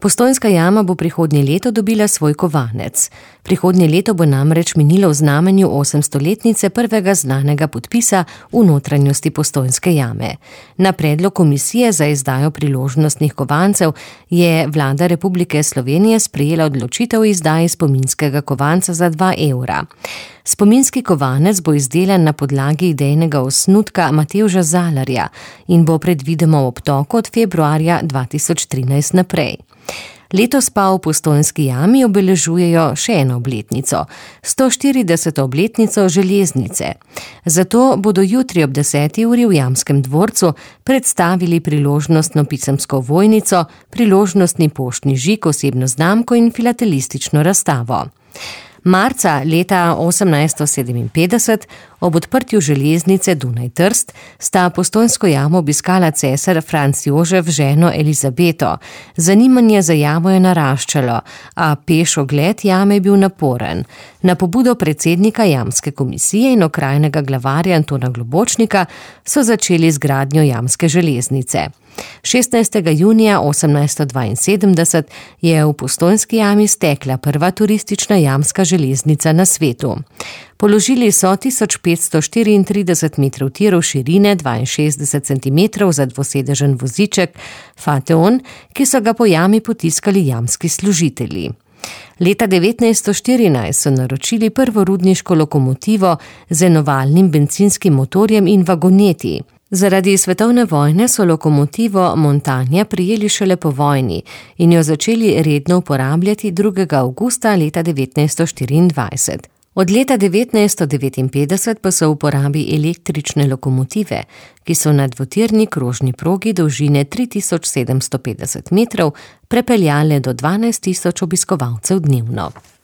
Postojnska jama bo prihodnje leto dobila svoj kovanec. Prihodnje leto bo namreč minilo v znamenju 800-letnice prvega znanega podpisa v notranjosti Postojnske jame. Na predlog Komisije za izdajo priložnostnih kovancev je Vlada Republike Slovenije sprejela odločitev o izdaji spominskega kovanca za 2 evra. Spominski kovanec bo izdelan na podlagi idejnega osnutka Matevža Zalarja in bo predvidoma v obtoku od februarja 2013 naprej. Letos pa v Postojnski jami obeležujejo še eno obletnico, 140. obletnico železnice. Zato bodo jutri ob 10. uri v Jamskem dvorcu predstavili priložnostno pisemsko ovojnico, priložnostni poštni žig, osebno znamko in filatelistično razstavo. Marca leta 1857, ob odprtju železnice Dunaj-Trst, sta Postojnsko jamo obiskala cesar Franc Jožef ženo Elizabeto. Zanimanje za jamo je naraščalo, a peš ogled jame je bil naporen. Na pobudo predsednika Jamske komisije in okrajnega glavarja Antona Globočnika so začeli z gradnjo jamske železnice. 16. junija 1872 je v Postojnski jami stekla prva turistična jamska železnica na svetu. Položili so 1534 metrov tirov širine, 62 centimetrov za dvosedežen voziček Fateon, ki so ga po jami potiskali jamski služitelji. Leta 1914 so naročili prvo rudniško lokomotivo z enovaljnim bencinskim motorjem in vagoneti. Zaradi svetovne vojne so lokomotivo Montanja prijeli šele po vojni in jo začeli redno uporabljati 2. avgusta leta 1924. Od leta 1959 pa so v uporabi električne lokomotive, ki so na dvotirni krožni progi dolžine 3750 metrov prepeljale do 12 000 obiskovalcev dnevno.